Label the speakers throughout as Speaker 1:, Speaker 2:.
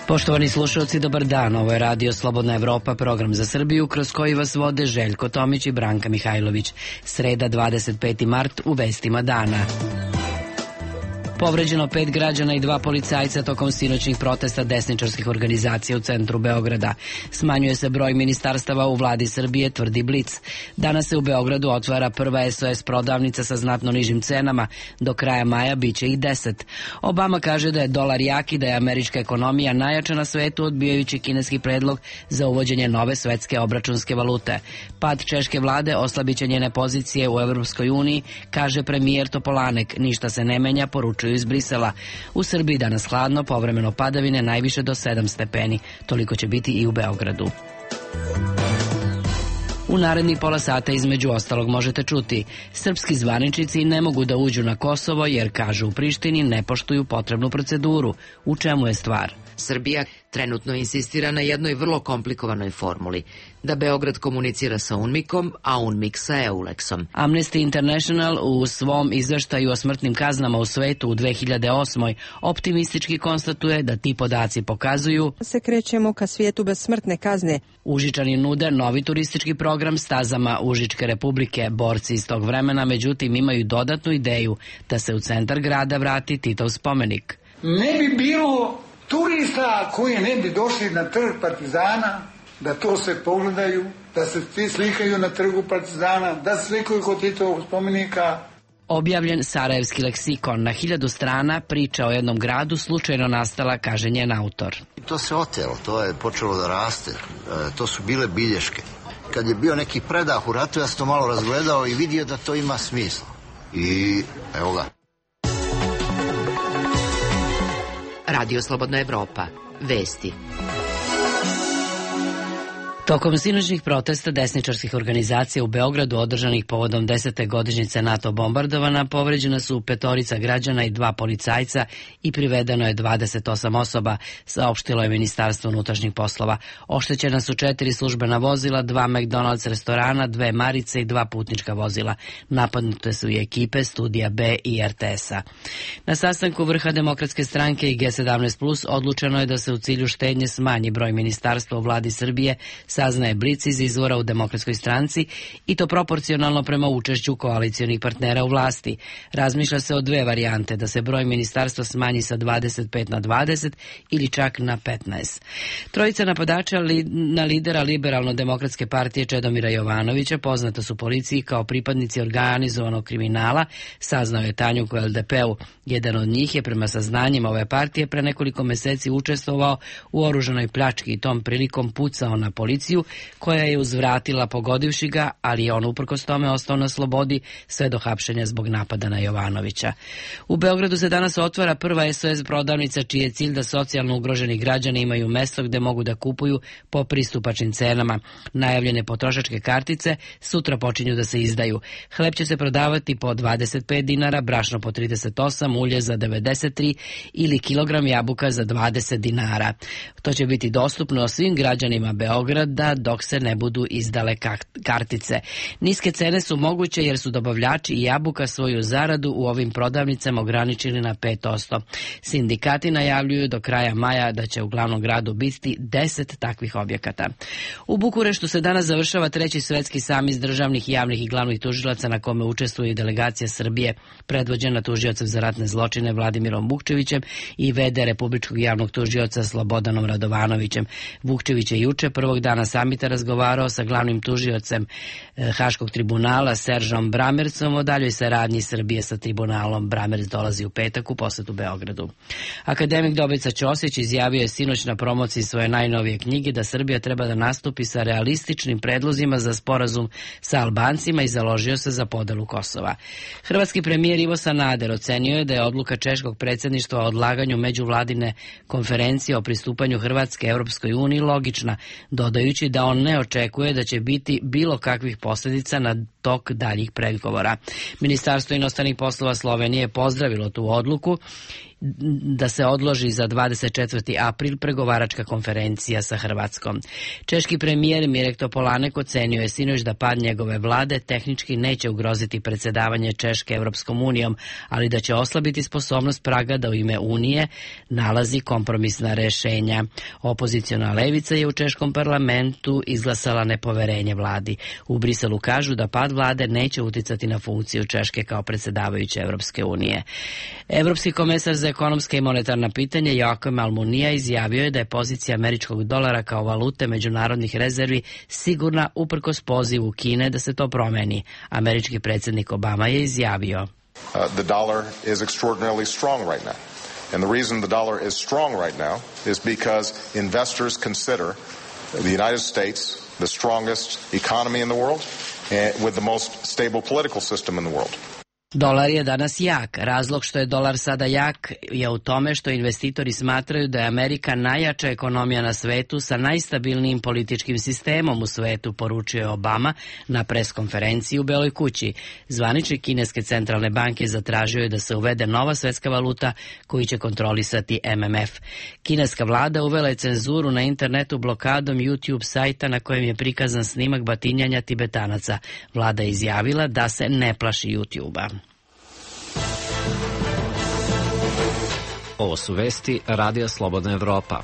Speaker 1: Poštovani slušalci, dobar dan. Ovo je Radio Slobodna Evropa, program za Srbiju, kroz koji vas vode Željko Tomić i Branka Mihajlović. Sreda, 25. mart, u vestima dana. Povređeno 5 građana i 2 policajca tokom sinoćnih protesta desničarskih organizacija u centru Beograda. Smanjuje se broj ministarstava u vladi Srbije, tvrdi Blic. Danas se u Beogradu otvara prva SOS prodavnica sa znatno nižim cenama. Do kraja maja biće ih 10. Obama kaže da je dolar jak i da je američka ekonomija najjača na svetu, odbijajući kineski predlog za uvođenje nove svetske obračunske valute. Pad češke vlade oslabiće njene pozicije u Evropskoj uniji, kaže premijer Topolanek. Ništa se ne menja, poručuje iz Brisela. U Srbiji danas hladno, povremeno padavine, najviše do 7 stepeni. Toliko će biti i u Beogradu. U narednih pola sata između ostalog možete čuti: srpski zvaničnici ne mogu da uđu na Kosovo jer, kažu u Prištini, ne poštuju potrebnu proceduru. U čemu je stvar?
Speaker 2: Srbija trenutno insistira na jednoj vrlo komplikovanoj formuli, da Beograd komunicira sa UNMIK-om, a UNMIK sa EULEX-om.
Speaker 1: Amnesty International u svom izveštaju o smrtnim kaznama u svetu u 2008. optimistički konstatuje da ti podaci pokazuju
Speaker 3: se krećemo ka svijetu bez smrtne kazne.
Speaker 1: Užičani nude novi turistički program stazama Užičke republike. Borci iz tog vremena, međutim, imaju dodatnu ideju da se u centar grada vrati Titov spomenik.
Speaker 4: Ne bi bilo turista koji ne bi došli na trg Partizana, da to se pogledaju, da se svi slikaju na trgu Partizana, da se slikaju kod Titovog spomenika.
Speaker 1: Objavljen Sarajevski leksikon na 1000 strana, priča o jednom gradu slučajno nastala, kaže njen autor.
Speaker 5: To se otelo, to je počelo da raste, to su bile bilješke. Kad je bio neki predah u ratu, ja sam to malo razgledao i vidio da to ima smisla. I evo ga.
Speaker 2: Radio Slobodna Evropa. Vesti.
Speaker 1: Tokom sinoćnih protesta desničarskih organizacija u Beogradu održanih povodom 10. godišnjice NATO bombardovana, povređena su 5 građana i 2 policajca i privedeno je 28 osoba, saopštilo je Ministarstvo unutrašnjih poslova. Oštećena su 4 službena vozila, 2 McDonald's restorana, 2 Marice i 2 putnička vozila. Napadnute su i ekipe Studija B i RTS-a. Na sastanku vrha Demokratske stranke i G17+, odlučeno je da se u cilju štednje smanji broj ministarstva u vladi Srbije, saznaje Blic iz izvora u Demokratskoj stranci, i to proporcionalno prema učešću koalicionih partnera u vlasti. Razmišlja se o 2 varijante, da se broj ministarstva smanji sa 25 na 20 ili čak na 15. Trojica napadača na lidera Liberalno-demokratske partije Čedomira Jovanovića poznata su policiji kao pripadnici organizovanog kriminala, saznao je Tanjug u LDP-u. Jedan od njih je prema saznanjima ove partije pre nekoliko meseci učestvovao u oružanoj pljački i tom prilikom pucao na policiju, koja je uzvratila pogodivši ga, ali je on uprkos tome ostao na slobodi sve do hapšenja zbog napada na Jovanovića. U Beogradu se danas otvara prva SOS prodavnica, čiji je cilj da socijalno ugroženi građani imaju mesto gde mogu da kupuju po pristupačnim cenama. Najavljene potrošačke kartice sutra počinju da se izdaju. Hleb će se prodavati po 25 dinara, brašno po 38, ulje za 93 ili kilogram jabuka za 20 dinara. To će biti dostupno svim građanima Beograda dok se ne budu izdale kartice. Niske cene su moguće jer su dobavljači i jabuka svoju zaradu u ovim prodavnicama ograničili na 5%. Sindikati najavljuju do kraja maja da će u glavnom gradu biti 10 takvih objekata. U Bukureštu se danas završava 3. svetski samit državnih, javnih i glavnih tužilaca, na kome učestvuje i delegacija Srbije, predvođena tužiocem za ratne zločine Vladimirom Vukčevićem i v.d. Republičkog javnog tužioca Slobodanom Radovanovićem. Vukčević je juče, prvog dana samita, razgovarao sa glavnim tužiocem Haškog tribunala Seržom Bramercom o daljoj saradnji Srbije sa tribunalom. Bramerc dolazi u petak u posetu Beogradu. Akademik Dobrica Ćosić izjavio je sinoć na promociji svoje najnovije knjige da Srbija treba da nastupi sa realističnim predlozima za sporazum sa Albancima i založio se za podelu Kosova. Hrvatski premijer Ivo Sanader ocenio je da je odluka češkog predsjedništva o odlaganju međuvladine konferencije o pristupanju Hrvatske Europskoj uniji logična, dodajući da on ne očekuje da će biti bilo kakvih posljedica tok daljih pregovora. Ministarstvo inostranih poslova Slovenije je pozdravilo tu odluku da se odloži za 24. april pregovaračka konferencija sa Hrvatskom. Češki premijer Mirek Topolanek ocenio je sinoć da pad njegove vlade tehnički neće ugroziti predsjedavanje Češke Evropskom unijom, ali da će oslabiti sposobnost Praga da u ime Unije nalazi kompromisna rešenja. Opoziciona levica je u Češkom parlamentu izglasala nepoverenje vladi. U Briselu kažu da pad vlade neće uticati na funkciju Češke kao predsjedavajuće Evropske unije. Evropski komesar za ekonomske i monetarna pitanja Joakim Almunia izjavio je da je pozicija američkog dolara kao valute međunarodnih rezervi sigurna uprkos pozivu Kine da se to promeni. Američki predsjednik Obama je izjavio:
Speaker 6: The dollar is extraordinarily strong right now. And the reason the dollar is strong right now is because investors consider the United States the strongest economy in the world and with the most stable political system in the world.
Speaker 1: Dolar je danas jak. Razlog što je dolar sada jak je u tome što investitori smatraju da je Amerika najjača ekonomija na svetu sa najstabilnijim političkim sistemom u svetu, poručio je Obama na preskonferenciji u Beloj kući. Zvaničnik kineske centralne banke zatražio je da se uvede nova svetska valuta koju će kontrolisati MMF. Kineska vlada uvela je cenzuru na internetu blokadom YouTube sajta na kojem je prikazan snimak batinjanja Tibetanaca. Vlada je izjavila da se ne plaši YouTube-a.
Speaker 7: Ovo su vesti Radija Slobodna Evropa.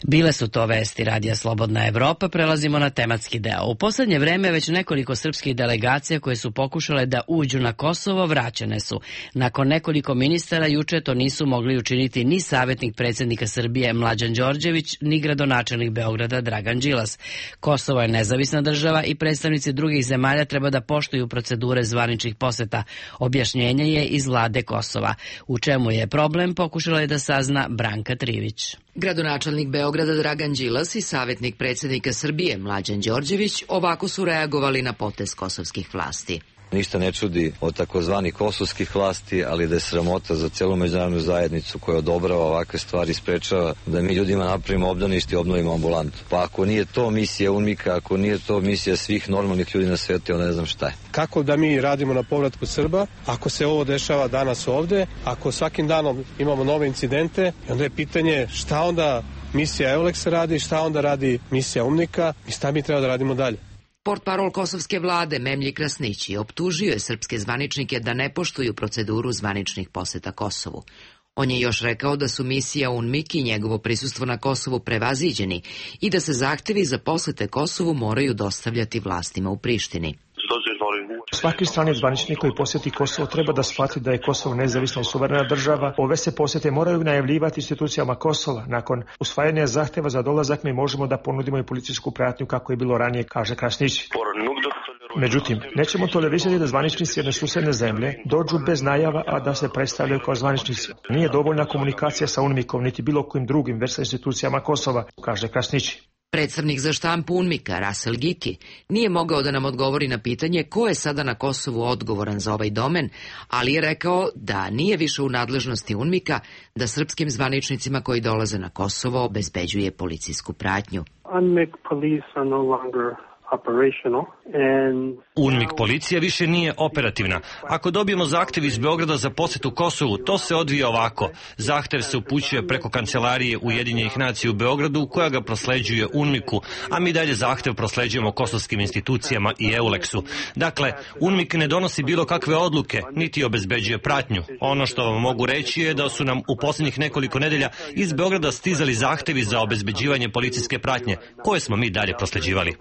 Speaker 1: Bile su to vesti Radija Slobodna Evropa, prelazimo na tematski deo. U posljednje vreme već nekoliko srpskih delegacija koje su pokušale da uđu na Kosovo vraćene su. Nakon nekoliko ministara juče to nisu mogli učiniti ni savjetnik predsjednika Srbije Mlađan Đorđević, ni gradonačelnik Beograda Dragan Đilas. Kosovo je nezavisna država i predstavnici drugih zemalja treba da poštuju procedure zvaničnih poseta. Objašnjenje je iz vlade Kosova. U čemu je problem, pokušala je da sazna Branka Trivić.
Speaker 2: Gradonačelnik Beograda Dragan Đilas i savjetnik predsjednika Srbije Mlađan Đorđević ovako su reagovali na potez kosovskih vlasti.
Speaker 8: Ništa ne čudi od takozvanih kosovskih vlasti, ali da je sramota za celu međunarodnu zajednicu koja odobrava ovakve stvari, sprečava da mi ljudima napravimo obdanište i obnovimo ambulantu. Pa ako nije to misija UNMIK-a, ako nije to misija svih normalnih ljudi na svijetu, onda ne znam šta je.
Speaker 9: Kako da mi radimo na povratku Srba, ako se ovo dešava danas ovde, ako svakim danom imamo nove incidente, onda je pitanje šta onda misija EULEX radi, šta onda radi misija UNMIK-a i šta mi treba da radimo dalje.
Speaker 2: Portparol kosovske vlade Memlji Krasnići optužio je srpske zvaničnike da ne poštuju proceduru zvaničnih poseta Kosovu. On je još rekao da su misija UNMIK i njegovo prisustvo na Kosovu prevaziđeni i da se zahtevi za posete Kosovu moraju dostavljati vlastima u Prištini.
Speaker 10: Svaki strani zvaničnik koji posjeti Kosovo treba da shvati da je Kosovo nezavisna i suverena država. Ove se posjete moraju najavljivati institucijama Kosova. Nakon usvajanja zahteva za dolazak mi možemo da ponudimo i policijsku pratnju kako je bilo ranije, kaže Krasnić. Međutim, nećemo tolerisati da zvaničnici jedne susedne zemlje dođu bez najava, a da se predstavljaju kao zvaničnici. Nije dovoljna komunikacija sa UNMIK-om niti bilo kojim drugim već sa institucijama Kosova, kaže Krasnić.
Speaker 2: Predstavnik za štampu UNMIK-a, Rasel Giki, nije mogao da nam odgovori na pitanje ko je sada na Kosovu odgovoran za ovaj domen, ali je rekao da nije više u nadležnosti UNMIK-a da srpskim zvaničnicima koji dolaze na Kosovo obezbeđuje policijsku pratnju.
Speaker 11: UNMIK police are no longer operational and
Speaker 12: UNMIK policija više nije operativna. Ako dobijemo zahtev iz Beograda za posjetu Kosovu, to se odvija ovako. Zahtev se upućuje preko kancelarije Ujedinjenih nacija u Beogradu, koja ga prosleđuje UNMIK-u, a mi dalje zahtev prosleđujemo kosovskim institucijama i EULEX-u. Dakle, UNMIK ne donosi bilo kakve odluke, niti obezbeđuje pratnju. Ono što vam mogu reći je da su nam u posljednjih nekoliko nedelja iz Beograda stizali zahtevi za obezbeđivanje policijske pratnje, koje smo mi dalje prosleđivali.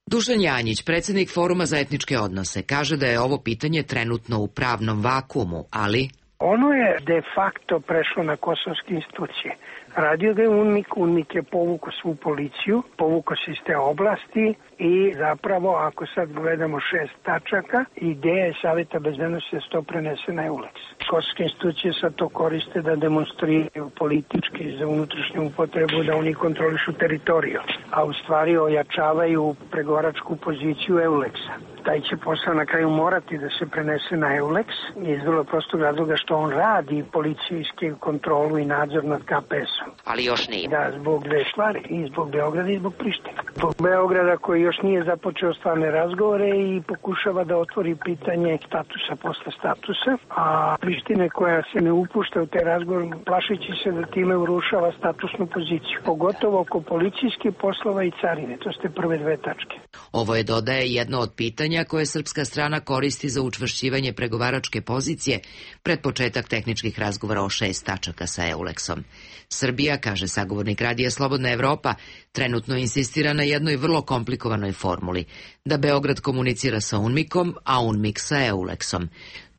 Speaker 2: Dušan Janjić, predsjednik Foruma za etničke odnose, kaže da je ovo pitanje trenutno u pravnom vakuumu, ali
Speaker 13: ono je de facto prešlo na kosovske institucije. Radio ga je UNMIK, UNMIK je povukao svu policiju, povukao se iz te oblasti i zapravo ako sad gledamo 6 tačaka, ideja je Savjeta bezbednosti da se to prenese na EULEX. Kosovske institucije sad to koriste da demonstriraju politički za unutrašnju upotrebu da oni kontrolišu teritoriju, a u stvari ojačavaju pregovaračku poziciju EULEX-a. taj će posao na kraju morati da se prenese na EULEX iz vrlo prostog razloga što on radi policijsku kontrolu i nadzor nad KPS-om.
Speaker 2: Ali još nije.
Speaker 13: Da, zbog dve stvari, i zbog Beograda i zbog Prištine. Zbog Beograda koji još nije započeo stvarne razgovore i pokušava da otvori pitanje statusa posle statusa, a Prištine koja se ne upušta u te razgovore plašeći se da time urušava statusnu poziciju, pogotovo oko policijskih poslova i carine. To ste prve dve tačke.
Speaker 2: Ovo je, dodaje, jedno od pitanja koje srpska strana koristi za učvršćivanje pregovaračke pozicije pred početak tehničkih razgovora o 6 tačaka sa EULEX-om. Srbija, kaže sagovornik Radija Slobodna Evropa, trenutno insistira na jednoj vrlo komplikovanoj formuli, da Beograd komunicira sa UNMIK-om, a UNMIK sa EULEX-om.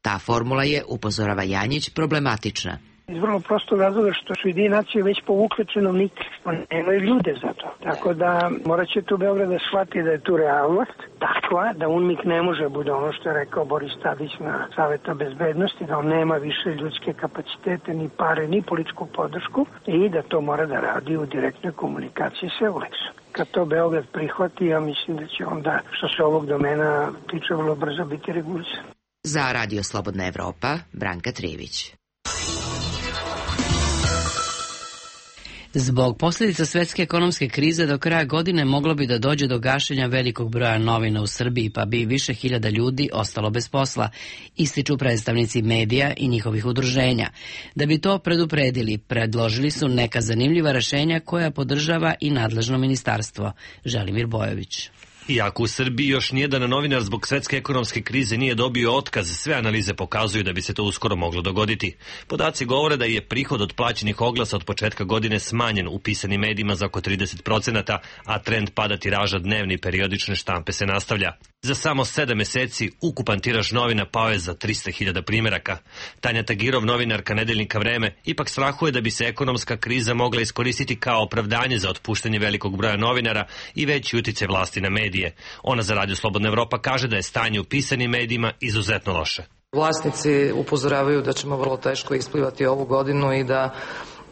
Speaker 2: Ta formula je, upozorava Janjić, problematična.
Speaker 13: Iz vrlo prostog razloga što su Ujedinjene nacije već povukle činovnike, nemaju ljude za to. Tako da morat će tu Beograd da shvati da je tu realnost takva, da UNMIK ne može bude ono što je rekao Boris Tadić na Saveta bezbednosti, da on nema više ljudske kapacitete, ni pare, ni političku podršku i da to mora da radi u direktnoj komunikaciji sa EULEX-om. Kad to Beograd prihvati, ja mislim da će onda, što se ovog domena tiče, vrlo brzo biti regulisan.
Speaker 2: Za Radio Slobodna Evropa, Branka Trivić.
Speaker 1: Zbog posljedica svetske ekonomske krize do kraja godine moglo bi da dođe do gašenja velikog broja novina u Srbiji, pa bi više hiljada ljudi ostalo bez posla, ističu predstavnici medija i njihovih udruženja. Da bi to predupredili, predložili su neka zanimljiva rešenja koja podržava i nadležno ministarstvo. Želimir Bojović.
Speaker 12: Iako u Srbiji još nijedan novinar zbog svetske ekonomske krize nije dobio otkaz, sve analize pokazuju da bi se to uskoro moglo dogoditi. Podaci govore da je prihod od plaćenih oglasa od početka godine smanjen u pisanim medijima za oko 30%, a trend pada tiraža dnevne i periodične štampe se nastavlja. Za samo 7 meseci ukupan tiraž novina pao je za 300.000 primjeraka. Tanja Tagirov, novinarka nedeljnika Vreme, ipak strahuje da bi se ekonomska kriza mogla iskoristiti kao opravdanje za otpuštanje velikog broja novinara i veći uticaj vlasti na medije. Ona za Radio Slobodna Evropa kaže da je stanje u pisanim medijima izuzetno loše.
Speaker 14: Vlasnici upozoravaju da ćemo vrlo teško isplivati ovu godinu i da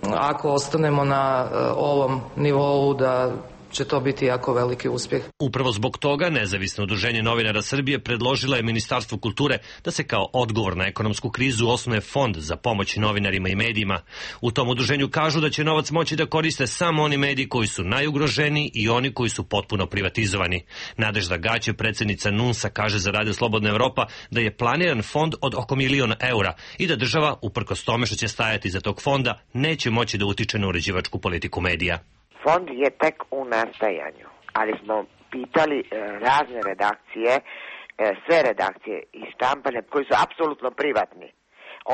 Speaker 14: ako ostanemo na ovom nivou da će to biti jako veliki uspjeh.
Speaker 12: Upravo zbog toga Nezavisno udruženje novinara Srbije predložila je Ministarstvu kulture da se kao odgovor na ekonomsku krizu osnuje fond za pomoć novinarima i medijima. U tom udruženju kažu da će novac moći da koriste samo oni mediji koji su najugroženiji i oni koji su potpuno privatizovani. Nadežda Gaće, predsjednica NUNS-a, kaže za Radio Slobodna Evropa da je planiran fond od oko 1.000.000 eura i da država, uprkos tome što će stajati iza tog fonda, neće moći da utiče na uređivačku politiku medija.
Speaker 15: Fond je tek u nastajanju, ali smo pitali razne redakcije, sve redakcije i štampane koji su apsolutno privatni.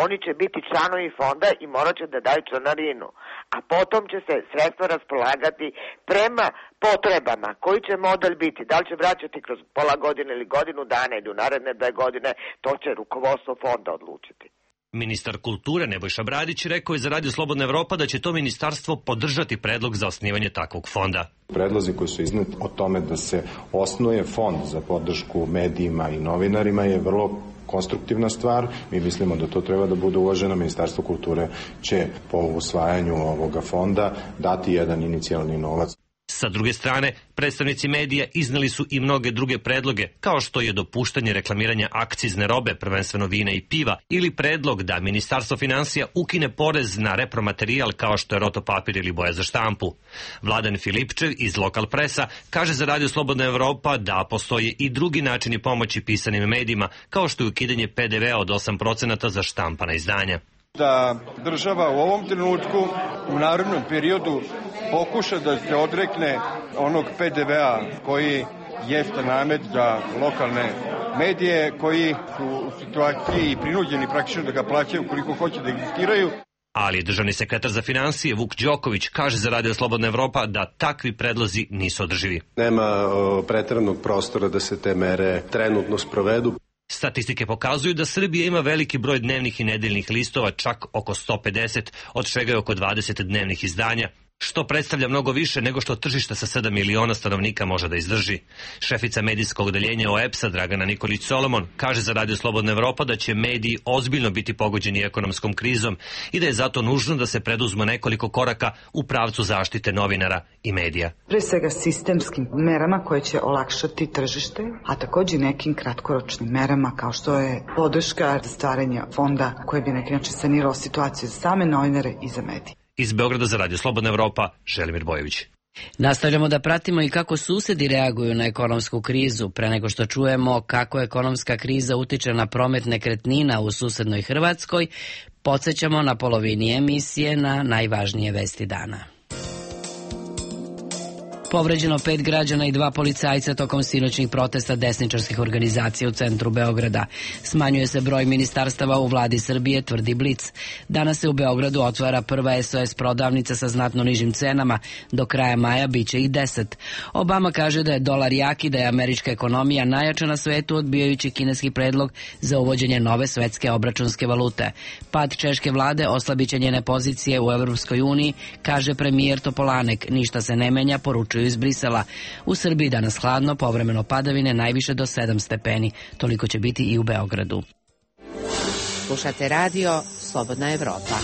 Speaker 15: Oni će biti članovi fonda i morat će da daju članarinu, a potom će se sredstva raspolagati prema potrebama. Koji će model biti? Da li će vraćati kroz pola godine ili godinu dana ili u naredne 2 godine, to će rukovodstvo fonda odlučiti.
Speaker 12: Ministar kulture Nebojša Bradić rekao je za Radio Slobodna Evropa da će to ministarstvo podržati predlog za osnivanje takvog fonda.
Speaker 16: Predlozi koji su izneti o tome da se osnuje fond za podršku medijima i novinarima je vrlo konstruktivna stvar. Mi mislimo da to treba da bude uvaženo. Ministarstvo kulture će po usvajanju ovoga fonda dati jedan inicijalni novac.
Speaker 12: Sa druge strane, predstavnici medija izneli su i mnoge druge predloge, kao što je dopuštanje reklamiranja akcizne robe, prvenstveno vina i piva, ili predlog da Ministarstvo finansija ukine porez na repromaterijal kao što je rotopapir ili boja za štampu. Vladan Filipčev iz Lokal Presa kaže za Radio Slobodna Evropa da postoje i drugi načini pomoći pisanim medijima, kao što je ukidanje PDV-a od 8% za štampana izdanja.
Speaker 17: Da država u ovom trenutku, u narednom periodu, pokuša da se odrekne onog PDV-a koji jeste namet za lokalne medije, koji su u situaciji i prinuđeni praktično da ga plaćaju koliko hoće da egzistiraju.
Speaker 12: Ali državni sekretar za financije Vuk Đoković kaže za Radio Slobodna Evropa da takvi predlozi nisu održivi.
Speaker 18: Nema preteranog prostora da se te mere trenutno sprovedu.
Speaker 12: Statistike pokazuju da Srbija ima veliki broj dnevnih i nedeljnih listova, čak oko 150, od čega je oko 20 dnevnih izdanja. što predstavlja mnogo više nego što tržište sa 7 miliona stanovnika može da izdrži. Šefica medijskog odeljenja OEBS-a Dragana Nikolić-Solomon kaže za Radio Slobodna Evropa da će mediji ozbiljno biti pogođeni ekonomskom krizom i da je zato nužno da se preduzme nekoliko koraka u pravcu zaštite novinara i medija.
Speaker 19: Pre svega sistemskim merama koje će olakšati tržište, a takođe nekim kratkoročnim merama kao što je podrška za stvaranje fonda koji bi na neki način sanirao situaciju za same novinare i za medije.
Speaker 12: Iz Beograda za Radio Slobodna Evropa, Želimir Bojović.
Speaker 1: Nastavljamo da pratimo i kako susedi reaguju na ekonomsku krizu. Pre nego što čujemo kako ekonomska kriza utiče na promet nekretnina u susednoj Hrvatskoj, podsećamo na polovini emisije na najvažnije vesti dana. Povređeno 5 građana i 2 policajca tokom sinoćnih protesta desničarskih organizacija u centru Beograda. Smanjuje se broj ministarstava u vladi Srbije, tvrdi Blic. Danas se u Beogradu otvara prva SOS prodavnica sa znatno nižim cenama. Do kraja maja biće i 10. Obama kaže da je dolar jak i da je američka ekonomija najjača na svetu, odbijajući kineski predlog za uvođenje nove svetske obračunske valute. Pad češke vlade oslabiće njene pozicije u Evropskoj uniji, kaže premijer Topolanek. Ništa se ne menja, poručuju iz Brisela. U Srbiji danas hladno, povremeno padavine, najviše do 7 stepeni. Toliko će biti i u Beogradu.
Speaker 20: Slušate radio Slobodna Evropa.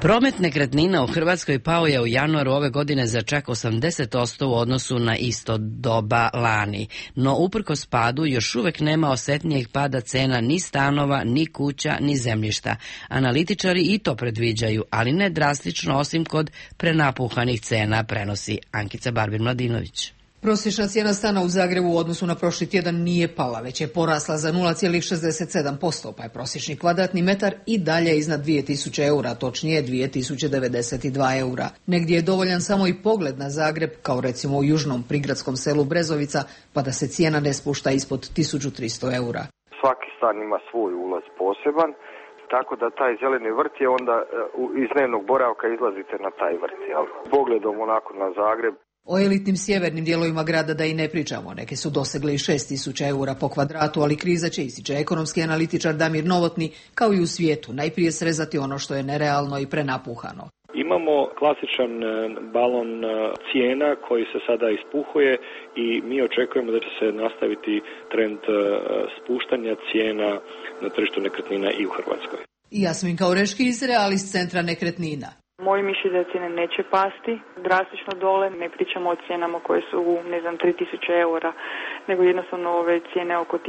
Speaker 1: Promet nekretnina u Hrvatskoj pao je u januaru ove godine za čak 80% u odnosu na isto doba lani. No uprkos padu još uvek nema osetnijeg pada cena ni stanova, ni kuća, ni zemljišta. Analitičari i to predviđaju, ali ne drastično osim kod prenapuhanih cena, prenosi Ankica Barbir-Mladinović.
Speaker 21: Prosječna cijena stana u Zagrebu u odnosu na prošli tjedan nije pala, već je porasla za 0,67%, pa je prosječni kvadratni metar i dalje iznad 2000 eura, točnije 2092 eura. Negdje je dovoljan samo i pogled na Zagreb, kao recimo u južnom prigradskom selu Brezovica, pa da se cijena ne spušta ispod 1300 eura.
Speaker 22: Svaki stan ima svoj ulaz poseban, tako da taj zeleni vrt je onda iz dnevnog boravka izlazite na taj vrt. Jel? Pogledom onako na Zagreb.
Speaker 21: O elitnim sjevernim dijelovima grada da i ne pričamo. Neke su dosegle i 6000 eura po kvadratu, ali kriza će, ističe ekonomski analitičar Damir Novotni, kao i u svijetu, najprije srezati ono što je nerealno i prenapuhano.
Speaker 23: Imamo klasičan balon cijena koji se sada ispuhuje i mi očekujemo da će se nastaviti trend spuštanja cijena na tržištu nekretnina i u Hrvatskoj.
Speaker 21: Jasminka Oreški iz Realist centra nekretnina.
Speaker 24: Moje mišljenje da cijene neće pasti drastično dole, ne pričamo o cijenama koje su 3000 eura, nego jednostavno ove cijene oko 1600,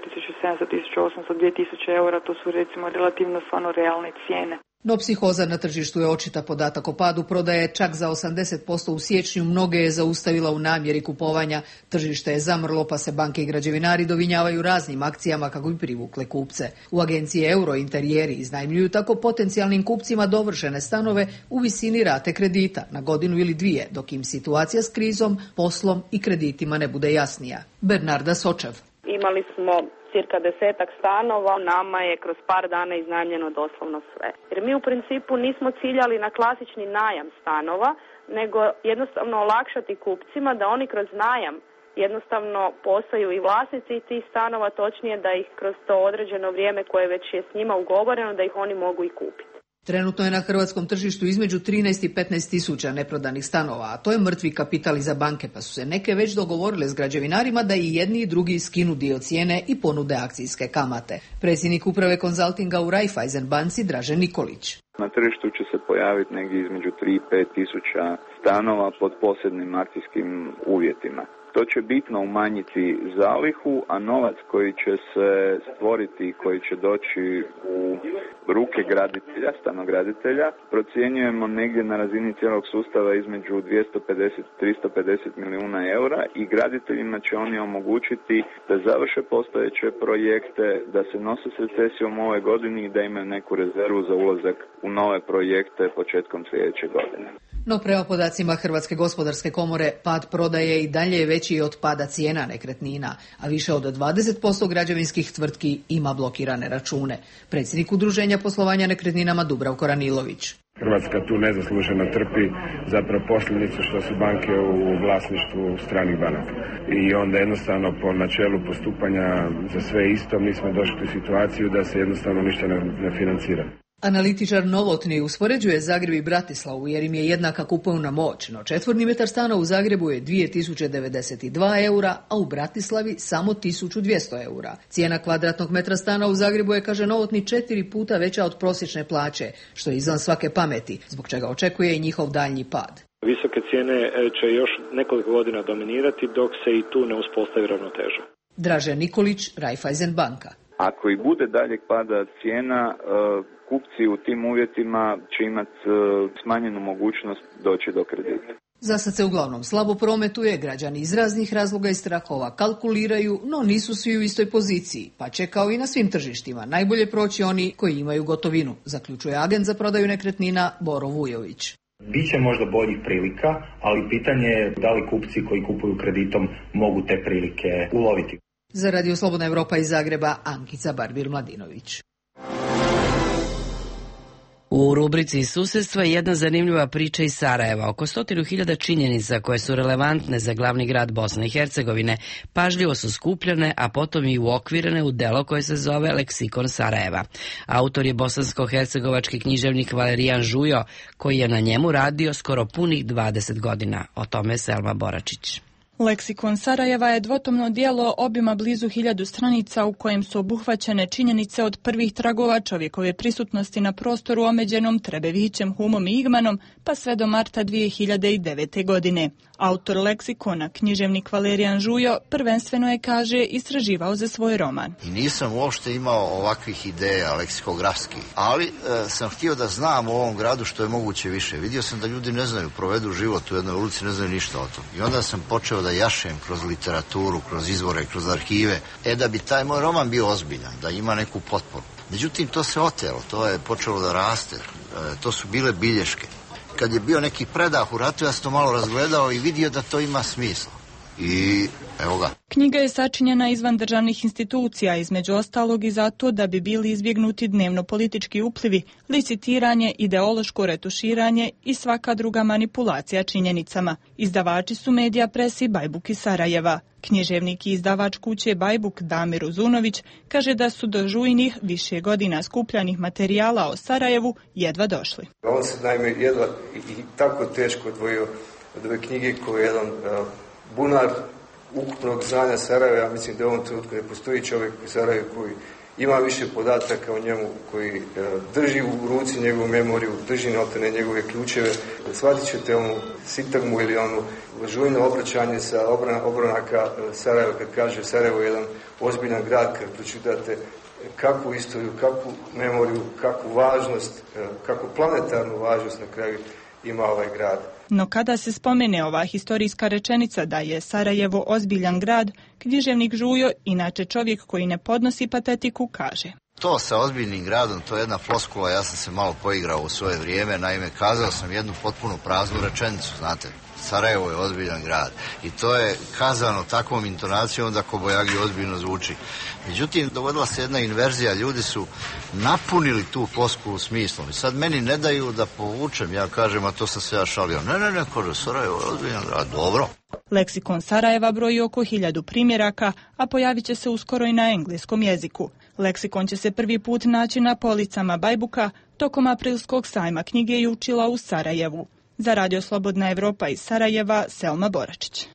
Speaker 24: 1700, 1800, 2000 eura, to su recimo relativno stvarno realne cijene.
Speaker 21: No psihoza na tržištu je očita. Podatak o padu prodaje čak za 80% u siječnju, mnoge je zaustavila u namjeri kupovanja. Tržište je zamrlo, pa se banke i građevinari dovinjavaju raznim akcijama kako bi privukle kupce. U agenciji Eurointerijeri iznajmljuju tako potencijalnim kupcima dovršene stanove u visini rate kredita na godinu ili dvije, dok im situacija s krizom, poslom i kreditima ne bude jasnija. Bernarda Sočev.
Speaker 25: Imali smo cirka 10 stanova, nama je kroz par dana iznajmljeno doslovno sve. Jer mi u principu nismo ciljali na klasični najam stanova, nego jednostavno olakšati kupcima da oni kroz najam jednostavno postaju i vlasnici tih stanova, točnije da ih kroz to određeno vrijeme koje već je s njima ugovoreno, da ih oni mogu i kupiti.
Speaker 21: Trenutno je na hrvatskom tržištu između 13 i 15 tisuća neprodanih stanova, a to je mrtvi kapital i za banke, pa su se neke već dogovorile s građevinarima da i jedni i drugi skinu dio cijene i ponude akcijske kamate. Predsjednik uprave konzaltinga u Raiffeisen banci Dražen Nikolić.
Speaker 26: Na tržištu će se pojaviti negdje između 3 i 5 tisuća stanova pod posebnim akcijskim uvjetima. To će bitno umanjiti zalihu, a novac koji će se stvoriti i koji će doći u ruke graditelja, stanograditelja, procjenjujemo negdje na razini cijelog sustava između 250-350 milijuna eura i graditeljima će oni omogućiti da završe postojeće projekte, da se nose s recesijom ove godine i da imaju neku rezervu za ulazak u nove projekte početkom sljedeće godine.
Speaker 21: No prema podacima Hrvatske gospodarske komore, pad prodaje i dalje je veći od pada cijena nekretnina, a više od 20% građevinskih tvrtki ima blokirane račune. Predsjednik Udruženja poslovanja nekretninama Dubravko Ranilović.
Speaker 27: Hrvatska tu nezasluženo trpi zapravo posljedicu što su banke u vlasništvu stranih banaka. I onda jednostavno po načelu postupanja za sve isto mi smo došli u situaciju da se jednostavno ništa ne financira.
Speaker 21: Analitičar Novotni uspoređuje Zagreb i Bratislavu jer im je jednaka kupovna moć, no četvorni metar stana u Zagrebu je 2092 eura, a u Bratislavi samo 1200 eura. Cijena kvadratnog metra stana u Zagrebu je, kaže Novotni, 4 puta veća od prosječne plaće, što je izvan svake pameti, zbog čega očekuje i njihov daljnji pad.
Speaker 23: Visoke cijene će još nekoliko godina dominirati dok se i tu ne uspostavi ravnoteža.
Speaker 21: Dražen Nikolić, Raiffeisen banka.
Speaker 26: Ako i bude daljeg pada cijena, kupci u tim uvjetima će imati smanjenu mogućnost doći do kredita.
Speaker 21: Za sad se uglavnom slabo prometuje, građani iz raznih razloga i strahova kalkuliraju, no nisu svi u istoj poziciji, pa će kao i na svim tržištima najbolje proći oni koji imaju gotovinu, zaključuje agent za prodaju nekretnina Boro Vujović.
Speaker 3: Biće možda boljih prilika, ali pitanje je da li kupci koji kupuju kreditom mogu te prilike uloviti.
Speaker 21: Za Radio Slobodna Evropa iz Zagreba, Ankica Barbir-Mladinović.
Speaker 1: U rubrici susjedstva jedna zanimljiva priča iz Sarajeva. Oko 100.000 činjenica koje su relevantne za glavni grad Bosne i Hercegovine pažljivo su skupljene, a potom i uokvirene u delo koje se zove Leksikon Sarajeva. Autor je bosansko-hercegovački književnik Valerijan Žujo, koji je na njemu radio skoro punih 20 godina. O tome Selma Boračić.
Speaker 4: Leksikon Sarajeva je dvotomno dijelo obima blizu 1000 stranica u kojem su obuhvaćene činjenice od prvih tragova čovjekove prisutnosti na prostoru omeđenom Trebevićem, Humom i Igmanom, pa sve do marta 2009. godine. Autor leksikona, književnik Valerijan Žujo, prvenstveno je, kaže, istraživao za svoj roman.
Speaker 5: I nisam uopšte imao ovakvih ideja leksikografskih, ali sam htio da znam u ovom gradu što je moguće više. Vidio sam da ljudi ne znaju, provedu život u jednoj ulici, ne znaju ništa o tom. I onda sam počeo da jašem kroz literaturu, kroz izvore, kroz arhive, da bi taj moj roman bio ozbiljan, da ima neku potporu. Međutim, to se otelo, to je počelo da raste, to su bile bilješke. Kad je bio neki predah u ratu, ja sam to malo razgledao i vidio da to ima smisla. I evo ga.
Speaker 4: Knjiga je sačinjena izvan državnih institucija, između ostalog i zato da bi bili izbjegnuti dnevno politički uplivi, licitiranje, ideološko retuširanje i svaka druga manipulacija činjenicama. Izdavači su Medija Press i Bajbuk iz Sarajeva. Književnik i izdavač kuće Bajbuk Damir Uzunović kaže da su do Žujinih više godina skupljanih materijala o Sarajevu jedva došli.
Speaker 6: On se naime jedva i tako teško odvojio od ove knjige koju je jedan bunar ukupnog znanja Sarajeva. Ja mislim da u ovom trenutku ne postoji čovjek u Sarajevu koji ima više podataka o njemu, koji drži u ruci njegovu memoriju, drži notane njegove ključeve. Shvatit ćete onu sintagmu ili onu žujno obraćanje sa obronaka Sarajeva kad kaže Sarajevo je jedan ozbiljan grad, kad pročitate kakvu istoriju, kakvu memoriju, kakvu važnost, kakvu planetarnu važnost na kraju ima ovaj grad.
Speaker 4: No kada se spomene ova historijska rečenica da je Sarajevo ozbiljan grad, književnik Žujo, inače čovjek koji ne podnosi patetiku, kaže:
Speaker 5: To sa ozbiljnim gradom, to je jedna floskula, ja sam se malo poigrao u svoje vrijeme, naime kazao sam jednu potpuno praznu rečenicu, znate. Sarajevo je ozbiljan grad i to je kazano takvom intonacijom da kobajagi ozbiljno zvuči. Međutim, dogodila se jedna inverzija, ljudi su napunili tu floskulu smislom i sad meni ne daju da povučem, ja kažem, a to sam se ja šalio. Ne, kaže, Sarajevo je ozbiljan grad, dobro.
Speaker 4: Leksikon Sarajeva broji oko 1000 primjeraka, a pojavit će se uskoro i na engleskom jeziku. Leksikon će se prvi put naći na policama Bajbuka tokom aprilskog sajma knjige i učila u Sarajevu. Za Radio Slobodna Evropa iz Sarajeva, Selma Boračić.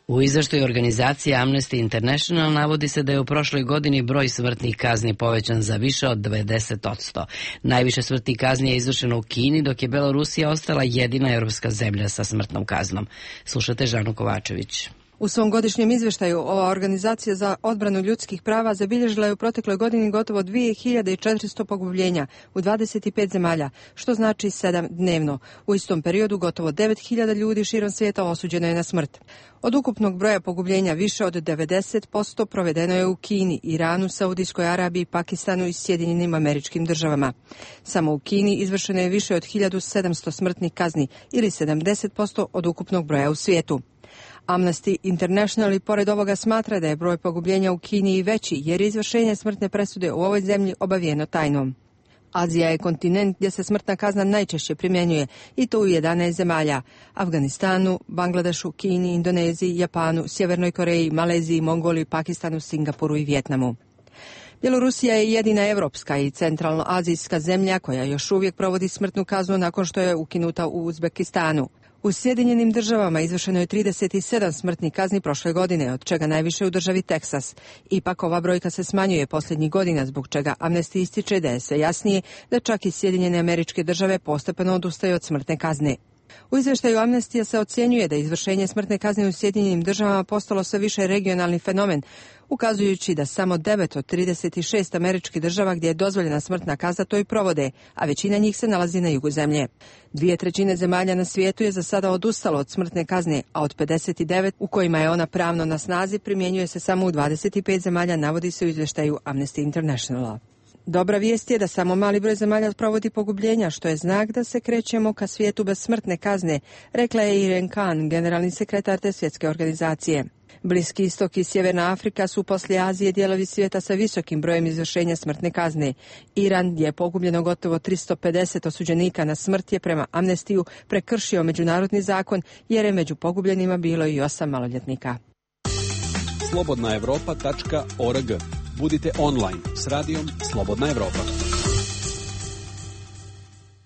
Speaker 1: U izveštaju organizacije Amnesty International navodi se da je u prošloj godini broj smrtnih kazni povećan za više od 90%. Najviše smrtnih kazni je izvršeno u Kini, dok je Belorusija ostala jedina europska zemlja sa smrtnom kaznom. Slušate Žanu Kovačević.
Speaker 7: U svom godišnjem izvještaju ova organizacija za odbranu ljudskih prava zabilježila je u protekloj godini gotovo 2400 pogubljenja u 25 zemalja, što znači 7 dnevno. U istom periodu gotovo 9000 ljudi širom svijeta osuđeno je na smrt. Od ukupnog broja pogubljenja više od 90% provedeno je u Kini, Iranu, Saudijskoj Arabiji, Pakistanu i Sjedinjenim Američkim Državama. Samo u Kini izvršeno je više od 1700 smrtnih kazni ili 70% od ukupnog broja u svijetu. Amnesty International i pored ovoga smatra da je broj pogubljenja u Kini i veći jer je izvršenje smrtne presude u ovoj zemlji obavijeno tajnom. Azija je kontinent gdje se smrtna kazna najčešće primjenjuje i to u 11 zemalja: Afganistanu, Bangladešu, Kini, Indoneziji, Japanu, Sjevernoj Koreji, Maleziji, Mongoliji, Pakistanu, Singapuru i Vijetnamu. Bjelorusija je jedina evropska i centralnoazijska zemlja koja još uvijek provodi smrtnu kaznu nakon što je ukinuta u Uzbekistanu. U Sjedinjenim državama izvršeno je 37 smrtnih kazni prošle godine, od čega najviše u državi Teksas. Ipak ova brojka se smanjuje posljednjih godina, zbog čega Amnesty ističe da je sve jasnije da čak i Sjedinjene Američke Države postepeno odustaju od smrtne kazne. U izvještaju Amnestija se ocjenjuje da izvršenje smrtne kazne u Sjedinjenim državama postalo sve više regionalni fenomen, ukazujući da samo 9 od 36 američkih država gdje je dozvoljena smrtna kazna to i provode, a većina njih se nalazi na jugu zemlje. 2/3 zemalja na svijetu je za sada odustalo od smrtne kazne, a od 59 u kojima je ona pravno na snazi primjenjuje se samo u 25 zemalja, navodi se u izvještaju Amnesty Internationala. Dobra vijest je da samo mali broj zemalja provodi pogubljenja, što je znak da se krećemo ka svijetu bez smrtne kazne, rekla je Irene Khan, generalni sekretar te svjetske organizacije. Bliski istok i Sjeverna Afrika su poslije Azije dijelovi svijeta sa visokim brojem izvršenja smrtne kazne. Iran, gdje je pogubljeno gotovo 350 osuđenika na smrt, je prema Amnestiju prekršio međunarodni zakon jer je među pogubljenima bilo i 8 maloljetnika.
Speaker 2: slobodnaevropa.org. Budite online s radijom Slobodna Evropa.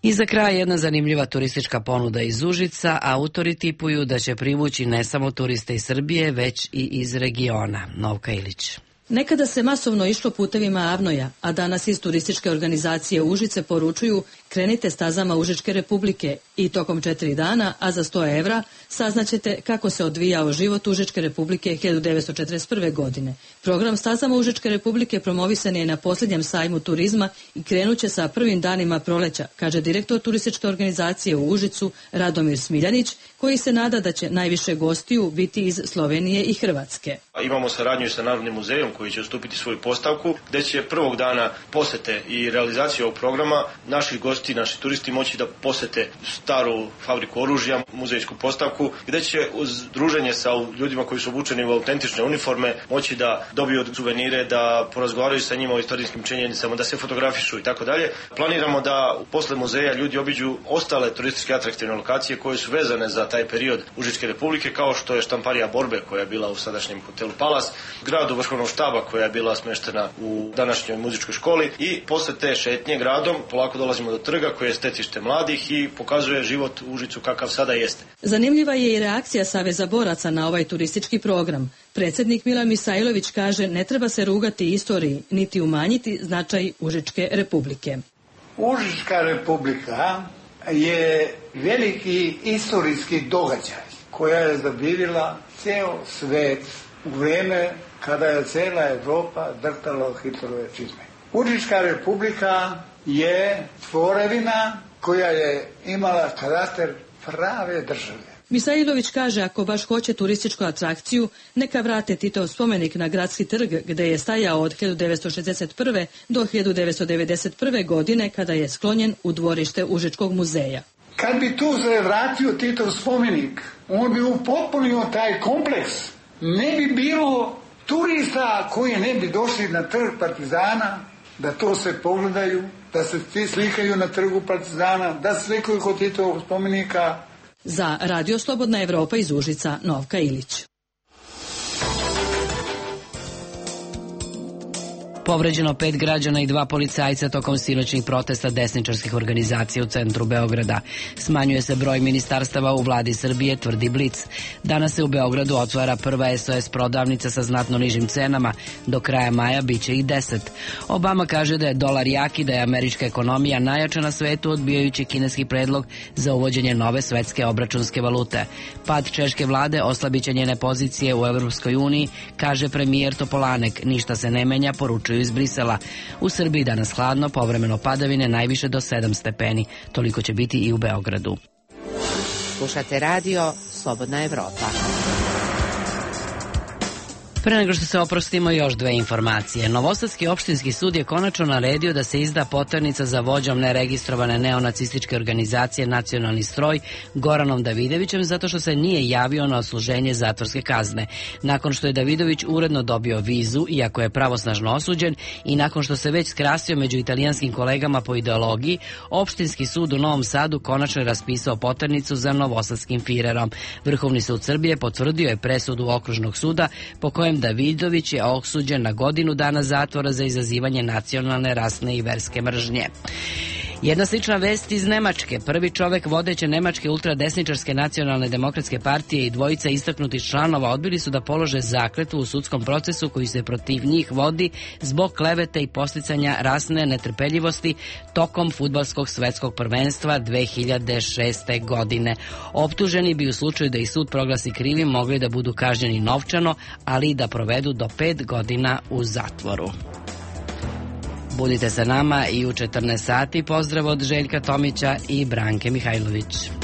Speaker 1: I za kraj jedna zanimljiva turistička ponuda iz Užica. Autori tipuju da će privući ne samo turiste iz Srbije, već i iz regiona. Novka Ilić.
Speaker 8: Nekada se masovno išlo putevima Avnoja, a danas iz turističke organizacije Užice poručuju krenite stazama Užičke republike i tokom 4 dana, a za 100 evra, saznaćete kako se odvijao život Užičke republike 1941. godine. Program stazama Užičke republike promovisan je na posljednjem sajmu turizma i krenuće sa prvim danima proleća, kaže direktor turističke organizacije u Užicu Radomir Smiljanić, koji se nada da će najviše gostiju biti iz Slovenije i Hrvatske.
Speaker 9: Imamo saradnju sa Narodnim muzejom koji će ustupiti svoju postavku, gdje će prvog dana posete i realizacije ovog programa naši gosti, naši turisti moći da posete staru fabriku oružja, muzejsku postavku, gdje će uz druženje sa ljudima koji su obučeni u autentične uniforme moći da dobiju suvenire, da porazgovaraju sa njima o istorijskim činjenicama, da se fotografišu i tako dalje. Planiramo da posle muzeja ljudi obiđu ostale turističke atraktivne lokacije koje su vezane za taj period Užičke republike, kao što je štamparija Borbe koja je bila u sadašnjem hotelu Palas, gradu Vrhovnog štaba koja je bila smještena u današnjoj muzičkoj školi, i posle te šetnje gradom polako dolazimo do trga koje je stecište mladih i pokazuje život u Užicu kakav sada jeste.
Speaker 8: Zanimljiva je i reakcija Saveza boraca na ovaj turistički program. Predsjednik Milan Misajlović kaže ne treba se rugati istoriji niti umanjiti značaj Užičke republike.
Speaker 10: Užička republika je veliki istorijski događaj koja je zadivila ceo svet u vrijeme kada je cijela Evropa drtala Hitlerove čizme. Užička republika je tvorevina koja je imala karakter prave države.
Speaker 8: Misajlović kaže ako baš hoće turističku atrakciju, neka vrate Titov spomenik na Gradski trg gdje je stajao od 1961. do 1991. godine kada je sklonjen u dvorište Užičkog muzeja.
Speaker 10: Kad bi tu se vratio Titov spomenik, on bi upotpunio taj kompleks. Ne bi bilo turista koji ne bi došli na trg Partizana, da to se pogledaju, da se svi slikaju na trgu Partizana, da se slikaju kod Titovog spomenika.
Speaker 8: Za Radio Slobodna Evropa iz Užica, Novka Ilić.
Speaker 1: Povređeno 5 građana i 2 policajca tokom sinoćnih protesta desničarskih organizacija u centru Beograda. Smanjuje se broj ministarstava u vladi Srbije, tvrdi Blic. Danas se u Beogradu otvara prva SOS prodavnica sa znatno nižim cenama. Do kraja maja biće i 10. Obama kaže da je dolar jak i da je američka ekonomija najjača na svetu, odbijajući kineski predlog za uvođenje nove svetske obračunske valute. Pad češke vlade oslabiće njene pozicije u Evropskoj uniji, kaže premijer Topolanek. Ništa se ne menja, poručuju iz Brisela. U Srbiji danas hladno, povremeno padavine, najviše do 7 stepeni. Toliko će biti i u Beogradu.
Speaker 20: Slušate radio Slobodna Evropa.
Speaker 1: Pre nego što se oprostimo, još 2 informacije. Novosadski opštinski sud je konačno naredio da se izda poternica za vođom neregistrovane neonacističke organizacije Nacionalni stroj Goranom Davidovićem zato što se nije javio na odsluženje zatvorske kazne. Nakon što je Davidović uredno dobio vizu, iako je pravosnažno osuđen, i nakon što se već skrasio među italijanskim kolegama po ideologiji, opštinski sud u Novom Sadu konačno je raspisao poternicu za novosadskim firerom. Vrhovni sud Srbije potvrdio je presudu okružnog suda po kojem Miljan Davidović je osuđen na godinu dana zatvora za izazivanje nacionalne, rasne i verske mržnje. Jedna slična vest iz Nemačke. Prvi čovek vodeće nemačke ultradesničarske nacionalne demokratske partije i dvojica istaknutih članova odbili su da polože zakletvu u sudskom procesu koji se protiv njih vodi zbog klevete i podsticanja rasne netrpeljivosti tokom fudbalskog svetskog prvenstva 2006. godine. Optuženi bi u slučaju da ih sud proglasi krivim mogli da budu kažnjeni novčano, ali i da provedu do 5 godina u zatvoru. Budite sa nama i u 14 sati. Pozdrav od Željka Tomića i Branke Mihajlović.